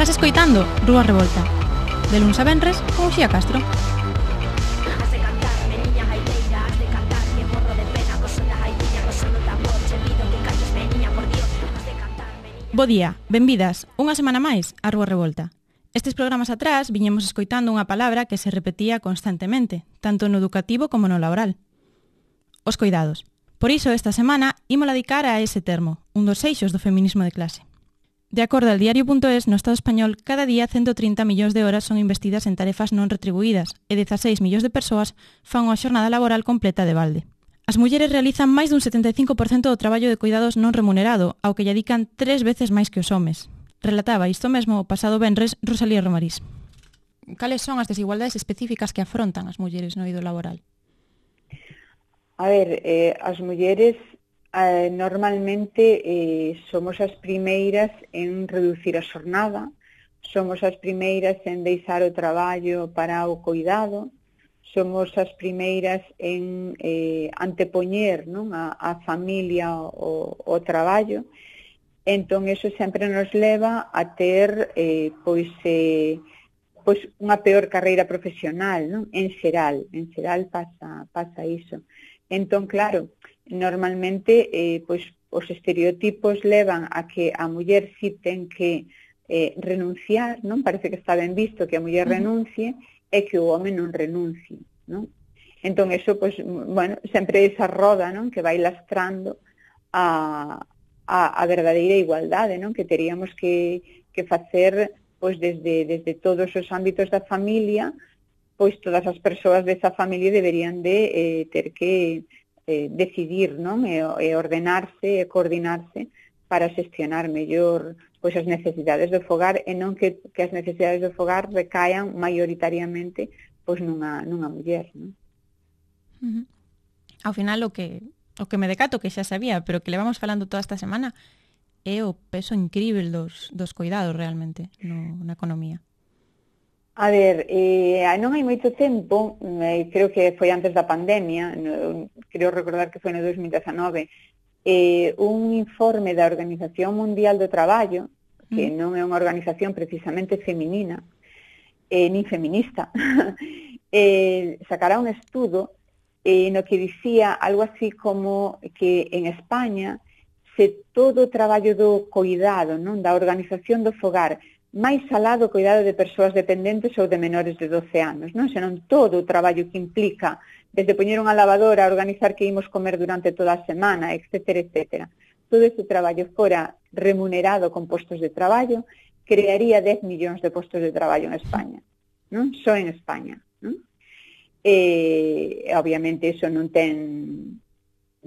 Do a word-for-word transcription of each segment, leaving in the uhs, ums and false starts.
Estás escoitando Rúa Revolta, de luns a venres con Uxía Castro. Bo día, benvidas, unha semana máis a Rúa Revolta. Estes programas atrás viñemos escoitando unha palabra que se repetía constantemente, tanto no educativo como no laboral. Os coidados. Por iso, esta semana, ímola dedicar a ese termo, un dos eixos do feminismo de clase. De acordo al diario punto es, no Estado español, cada día ciento trinta millóns de horas son investidas en tarefas non retribuídas e dezaseis millóns de persoas fan unha xornada laboral completa de balde. As mulleres realizan máis dun setenta e cinco por cento do traballo de cuidados non remunerado, ao que lle dedican tres veces máis que os homes. Relataba isto mesmo o pasado venres Rosalía Romarís. Cales son as desigualdades específicas que afrontan as mulleres no eido laboral? A ver, eh, as mulleres eh, normalmente eh, somos as primeiras en reducir a xornada, somos as primeiras en deixar o traballo para o cuidado, somos as primeiras en eh, antepoñer, non, a, a familia o, o traballo. Entón, eso sempre nos leva a ter eh, pois, eh, pois unha peor carreira profesional, non? En xeral, en xeral pasa, pasa iso. Entón, claro, normalmente eh, pois, os estereotipos levan a que a muller si ten que eh, renunciar, non? Parece que está ben visto que a muller renuncie e que o home non renuncie, non? Entón, eso, pois, bueno, sempre esa roda, non? Que vai lastrando a, a, a verdadeira igualdade, non? Que teríamos que, que facer pois, desde, desde todos os ámbitos da familia, pois todas as persoas desa familia deberían de eh, ter que eh, decidir, non? E, e ordenarse e coordinarse para xestionar mellor pois as necesidades do fogar e non que, que as necesidades do fogar recaian maioritariamente pois nunha, nunha muller, non? Uh-huh. Ao final o que o que me decato que xa sabía, pero que levamos falando toda esta semana é o peso incrível dos, dos cuidados realmente no, na economía. A ver, eh, non hai moito tempo, eh, creo que foi antes da pandemia, no, creo recordar que foi no dos mil dezanove, eh, un informe da Organización Mundial do Traballo, que mm. non é unha organización precisamente feminina, eh, nin feminista, eh, sacará un estudo eh, no que dicía algo así como que en España se todo o traballo do cuidado, non, da organización do fogar, máis alá do cuidado de persoas dependentes ou de menores de doce anos, non? Senón todo o traballo que implica, desde poñer unha lavadora, organizar que imos comer durante toda a semana, etcétera, etcétera. Todo ese traballo fora remunerado con postos de traballo, crearía dez millóns de postos de traballo en España, non? Só en España, non? E, obviamente, iso non ten...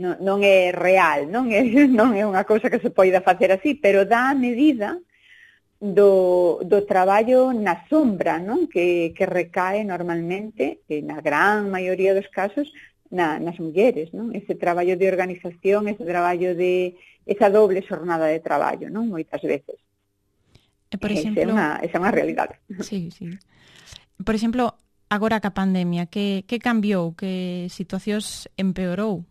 Non, non é real, non é, non é unha cousa que se poida facer así, pero dá a medida do, do traballo na sombra, non? Que, que recae normalmente, na gran maioría dos casos, na, nas mulleres, non? Ese traballo de organización, ese traballo de esa doble xornada de traballo, non? Moitas veces. E, por exemplo, esa é unha, esa é unha realidade. Sí, sí. Por exemplo, agora ca pandemia, que, que cambiou, que situacións empeorou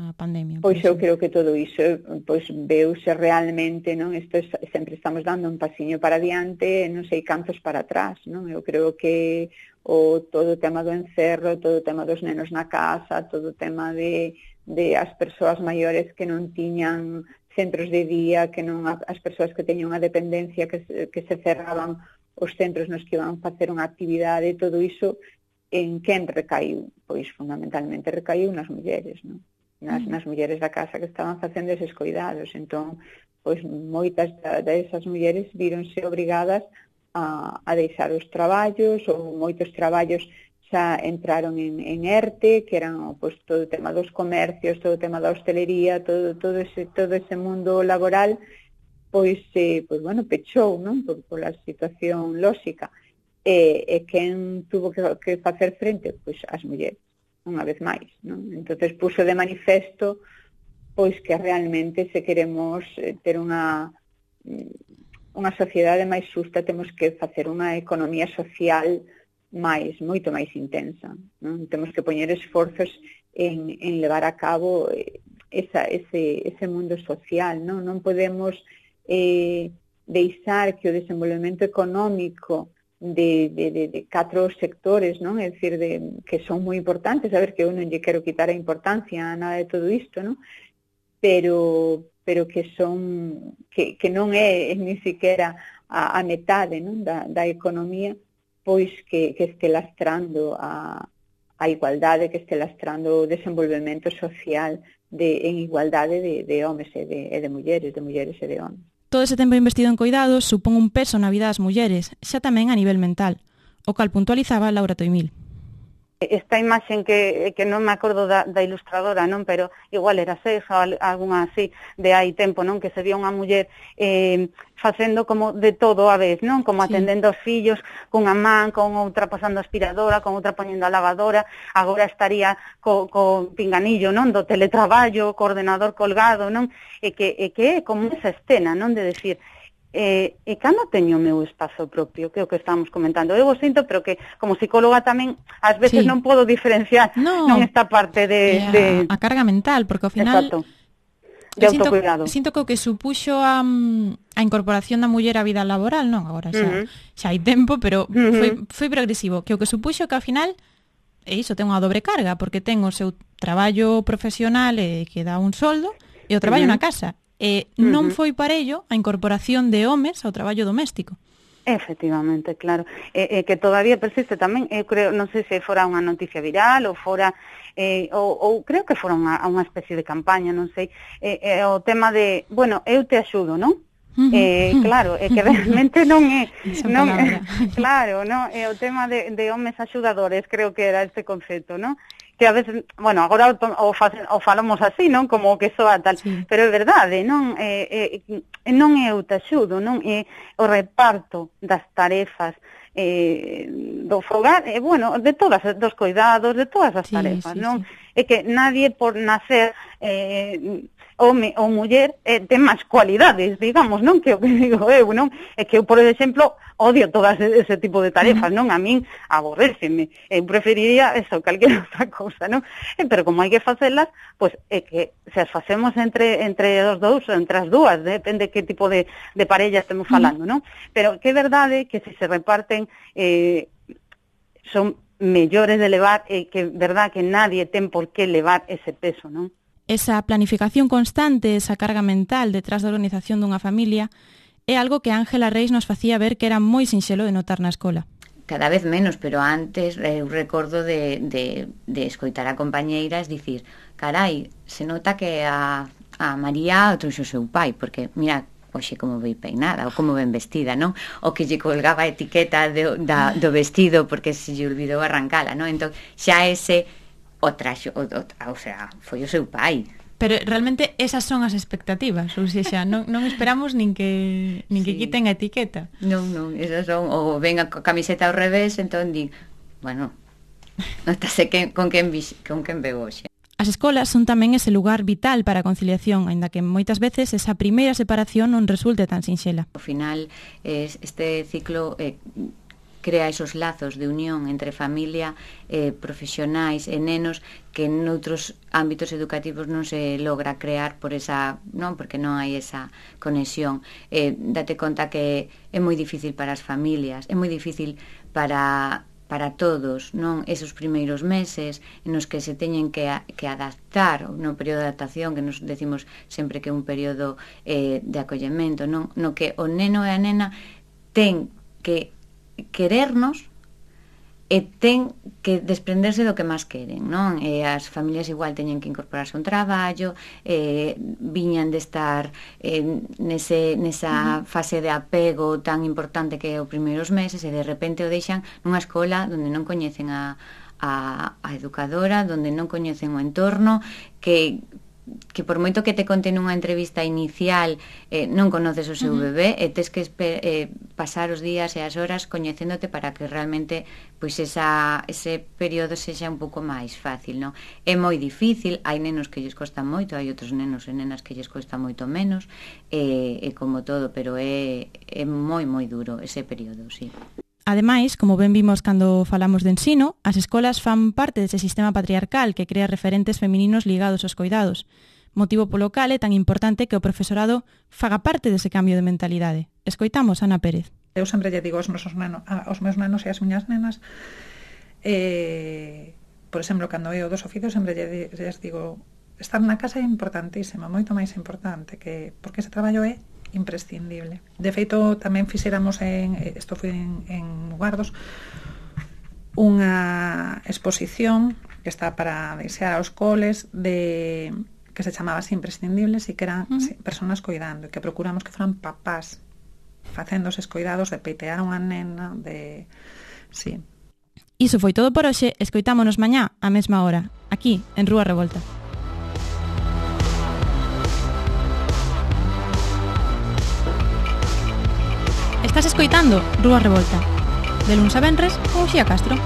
a pandemia? Pois eu creo que todo iso pois veuse realmente, non? Isto es, sempre estamos dando un pasiño para adiante, non sei cantos para atrás, non? Eu creo que o todo o tema do encerro, todo o tema dos nenos na casa, todo o tema de, de as persoas maiores que non tiñan centros de día, que non as persoas que teñen unha dependencia, que se, que se cerraban os centros nos que iban facer unha actividade, todo iso en quen recaiu? Pois fundamentalmente recaiu nas mulleres, non? Nas, nas mulleres da casa que estaban facendo eses cuidados. Entón, pois moitas desas mulleres víronse obrigadas a, a deixar os traballos, ou moitos traballos xa entraron en, en ERTE, que eran pois, todo o tema dos comercios, todo o tema da hostelería, todo, todo, ese, todo ese mundo laboral, pois, eh, pois bueno, pechou, non? Por, por a situación lóxica. E, e quen tuvo que, que facer frente? Pois as mulleres, unha vez máis, non? Entonces puso de manifesto pois que realmente se queremos ter unha unha sociedade máis xusta temos que facer unha economía social máis, moito máis intensa, non? Temos que poñer esforzos en, en levar a cabo esa, ese, ese mundo social, non? Non podemos eh, deixar que o desenvolvemento económico de, de, de, de catro sectores, non? É dicir, de, que son moi importantes, a ver, que eu non lle quero quitar a importancia a nada de todo isto, non? Pero, pero que son, que, que non é ni siquiera a, a metade, non? Da, da economía, pois que, que este lastrando a, a igualdade, que este lastrando o desenvolvemento social de, en igualdade de, de homes e de, e de mulleres, de mulleres e de homes. Todo ese tempo investido en coidados supón un peso na vida das mulleres, xa tamén a nivel mental, o cal puntualizaba Laura Toimil. Esta imaxen que, que non me acordo da, da ilustradora, non, pero igual era Seja, algunha así, de hai tempo, non, que se vía unha muller eh, facendo como de todo a vez, non, como atendendo aos fillos cunha man, con outra pasando a aspiradora, con outra poñendo a lavadora, agora estaría co, co pinganillo, non, do teletraballo, co ordenador colgado, non, e que, e que é como esa escena, non, de decir, E, e cando teño o meu espazo propio, que é o que estamos comentando, eu o sinto, pero que como psicóloga tamén ás veces sí. non podo diferenciar no, non esta parte de, a, de... a carga mental, porque ao final Exacto. De autocuidado. Sinto, sinto que o que supuxo a, a incorporación da muller á vida laboral, non, agora xa, uh-huh. xa hai tempo, pero uh-huh. foi, foi progresivo, que o que supuxo que ao final é iso, ten unha dobre carga, porque ten o seu traballo profesional e que dá un soldo, e o traballo uh-huh. na casa. E non uh-huh. foi parello a incorporación de homes ao traballo doméstico. Efectivamente, claro. E, e que todavía persiste tamén, eu creo, non sei se fora unha noticia viral ou fora, eh, ou, ou creo que fora unha, unha especie de campaña, non sei, eh, eh, o tema de, bueno, eu te axudo, non? Uh-huh. Eh, claro, é que realmente non é, non é claro, non? É o tema de, de homes axudadores, creo que era este concepto, non? Que a veces, bueno, agora o, facen, o falamos así, non? Como que soa tal, sí. Pero é verdade, non? É, é, non é o te axudo, non? É o reparto das tarefas eh, do fogar, e, bueno, de todas, dos cuidados, de todas as sí, tarefas, sí, non? Sí. É que nadie por nacer eh, home ou muller eh, ten máis cualidades, digamos, non? Que o que digo eu, non? É que eu, por exemplo, odio todas ese tipo de tarefas, non? A min aborréceme. Eu preferiría eso, calquera outra cousa, non? Eh, pero como hai que facelas, pois é que se as facemos entre entre os dous, entre as dúas, depende que tipo de, de parella estemos falando, non? Pero que é verdade que se se reparten eh, son mellores de levar e eh, que é verdade que nadie ten por que levar ese peso, non? Esa planificación constante, esa carga mental detrás da organización dunha familia é algo que Ángela Reis nos facía ver que era moi sinxelo de notar na escola. Cada vez menos, pero antes eu recordo de, de, de escoitar a compañeiras dicir, carai, se nota que a, a María trouxo o seu pai, porque mira, oxe como vei peinada ou como ben vestida, non? O que lle colgaba a etiqueta de, da, do vestido porque se lle olvidou arrancala, non? Entón, xa ese o traxo, o, o, o sea, foi o seu pai. Pero realmente esas son as expectativas, ou seja, non, non esperamos nin que nin que sí. quiten a etiqueta. Non, non, esas son, ou ven a camiseta ao revés, entón di, bueno, notase que, con quen con quen veo hoxe. As escolas son tamén ese lugar vital para a conciliación, aínda que moitas veces esa primeira separación non resulte tan sinxela. Ao final, este ciclo eh, crea esos lazos de unión entre familia, eh, profesionais e nenos que noutros ámbitos educativos non se logra crear por esa, non, porque non hai esa conexión. Eh, date conta que é moi difícil para as familias, é moi difícil para para todos, non, esos primeiros meses nos que se teñen que, a, que adaptar no período de adaptación, que nos decimos sempre que é un período eh, de acollemento, non, no que o neno e a nena ten que querernos e ten que desprenderse do que máis queren, non? E as familias igual teñen que incorporarse a un traballo, eh, viñan de estar eh, nese, nesa fase de apego tan importante que é os primeiros meses e de repente o deixan nunha escola onde non coñecen a, a, a educadora, onde non coñecen o entorno, que que por moito que te conte nunha entrevista inicial eh, non conoces o seu uh-huh. bebé e tes que eh, pasar os días e as horas coñecéndote para que realmente pois esa, ese período sexa un pouco máis fácil, non? É moi difícil, hai nenos que lles costa moito, hai outros nenos e nenas que lles costa moito menos, e, e como todo, pero é, é moi moi duro ese período, sí. Ademais, como ben vimos cando falamos de ensino, as escolas fan parte dese sistema patriarcal que crea referentes femininos ligados aos coidados. motivo polo cal é tan importante que o profesorado faga parte dese cambio de mentalidade. Escoitamos Ana Pérez. Eu sempre lle digo aos meus nanos, aos meus nanos e ás miñas nenas, eh, por exemplo, cando eu dos oficios, sempre lle, lles digo, estar na casa é importantísimo, moito máis importante, que porque ese traballo é imprescindible. De feito, tamén fixéramos, en, isto foi en, en Guardos, unha exposición que está para desear aos coles de que se chamaba así imprescindibles e que eran uh-huh. personas coidando e que procuramos que foran papás facendo eses coidados de peitear unha nena de... Sí. Iso foi todo por hoxe. Escoitámonos mañá á mesma hora, aquí en Rúa Revolta. Estás escoitando Rúa Revolta, de luns a venres con Uxía Castro.